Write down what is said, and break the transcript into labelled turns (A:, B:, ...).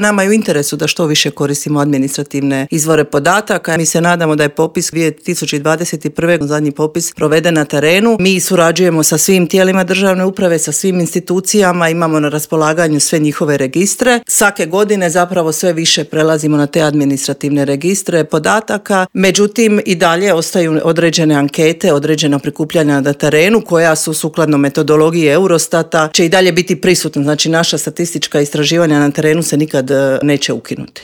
A: Nama je u interesu da što više koristimo administrativne izvore podataka. Mi se nadamo da je popis 2021. zadnji popis proveden na terenu. Mi surađujemo sa svim tijelima državne uprave, sa svim institucijama, imamo na raspolaganju sve njihove registre. Svake godine zapravo sve više prelazimo na te administrativne registre podataka. Međutim, i dalje ostaju određene ankete, određena prikupljanja na terenu koja su sukladno metodologiji Eurostata će i dalje biti prisutna. Znači naša statistička istraživanja na terenu se nikad neće ukinuti.